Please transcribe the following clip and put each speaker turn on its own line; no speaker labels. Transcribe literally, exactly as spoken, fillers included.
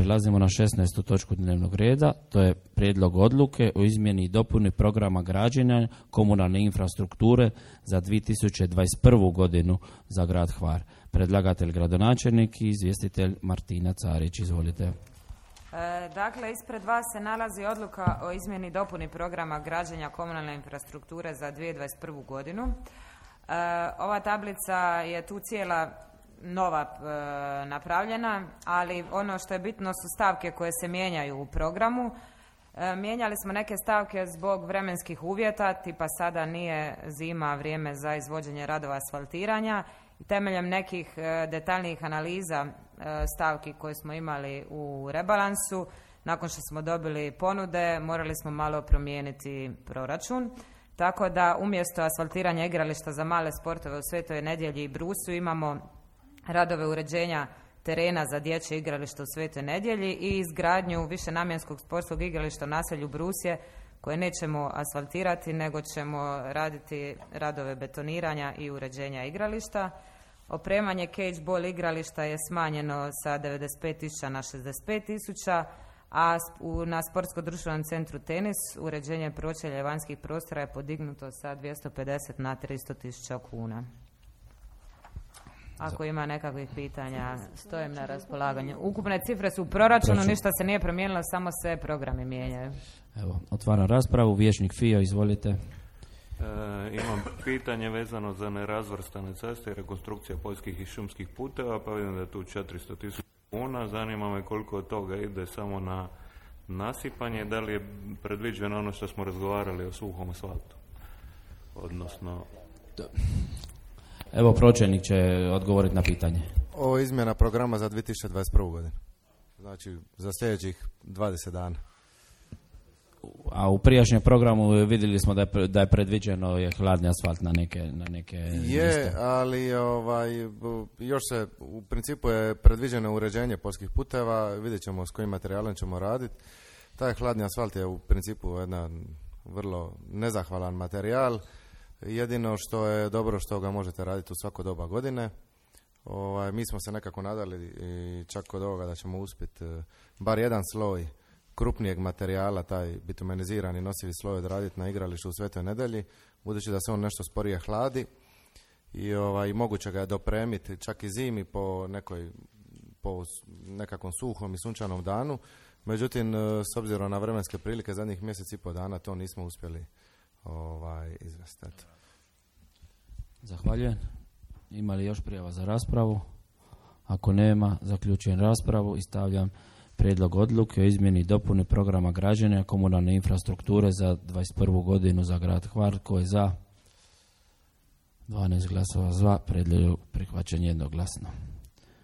prelazimo na šesnaestu točku dnevnog reda, to je prijedlog odluke o izmjeni i dopuni programa građenja komunalne infrastrukture za dvije tisuće dvadeset prvu godinu za grad Hvar. Predlagatelj gradonačelnik i izvjestitelj Martina Carić. Izvolite.
E, dakle, ispred vas se nalazi odluka o izmjeni i dopuni programa građenja komunalne infrastrukture za dvije tisuće dvadeset prvu godinu. E, ova tablica je tu cijela nova e, napravljena, ali ono što je bitno su stavke koje se mijenjaju u programu. E, mijenjali smo neke stavke zbog vremenskih uvjeta, tipa sada nije zima, vrijeme za izvođenje radova asfaltiranja. I temeljem nekih e, detaljnijih analiza e, stavki koje smo imali u rebalansu, nakon što smo dobili ponude, morali smo malo promijeniti proračun. Tako da umjesto asfaltiranja igrališta za male sportove u Svetoj Nedjelji i Brusu imamo radove uređenja terena za dječje igralište u Svetoj Nedjelji i izgradnju višenamjenskog sportskog igrališta u naselju Brusje koje nećemo asfaltirati, nego ćemo raditi radove betoniranja i uređenja igrališta. Opremanje cage ball igrališta je smanjeno sa devedeset pet tisuća na šezdeset pet tisuća, a na Sportsko-društvenom centru Tenis uređenje pročelja i vanjskih prostora je podignuto sa dvjesto pedeset na tristo tisuća kuna. Ako ima nekakvih pitanja, stojim na raspolaganju. Ukupne cifre su u proračunu, ništa se nije promijenilo, samo se programi mijenjaju.
Evo, otvaram raspravu. Vijećnik Fio, izvolite.
E, imam pitanje vezano za nerazvrstane ceste i rekonstrukcija poljskih i šumskih puteva, pa vidim da je tu četiristo tisuća kuna. Zanima me koliko od toga ide samo na nasipanje, da li je predviđeno ono što smo razgovarali o suhom asfaltu? Odnosno...
Evo, pročelnik će odgovoriti na pitanje.
Ovo je izmjena programa za dvije tisuće dvadeset prvu godinu. Znači, za sljedećih dvadeset dana.
A u prijašnjem programu vidjeli smo da je, da je predviđeno je hladni asfalt na neke, na neke
je, liste. Ali ovaj, još se, u principu je predviđeno uređenje poljskih puteva, vidjet ćemo s kojim materijalom ćemo raditi. Taj hladni asfalt je u principu jedan vrlo nezahvalan materijal. Jedino što je dobro što ga možete raditi u svako doba godine. Ovaj, mi smo se nekako nadali i čak kod ovoga da ćemo uspjeti bar jedan sloj krupnijeg materijala, taj bitumenizirani nosivi sloj odraditi na igralištu u Svetoj Nedjelji, budući da se on nešto sporije hladi i ovaj, moguće ga je dopremiti čak i zimi po, nekoj, po nekakvom suhom i sunčanom danu. Međutim, s obzirom na vremenske prilike zadnjih mjesec i po dana to nismo uspjeli ovaj, izvesti.
Zahvaljujem. Ima li još prijava za raspravu? Ako nema, zaključujem raspravu i stavljam prijedlog odluke o izmjeni i dopuni programa građenja komunalne infrastrukture za dvadeset prvu godinu za grad Hvar. Ko je za? dvanaest glasova za, prijedlog prihvaćen jednoglasno.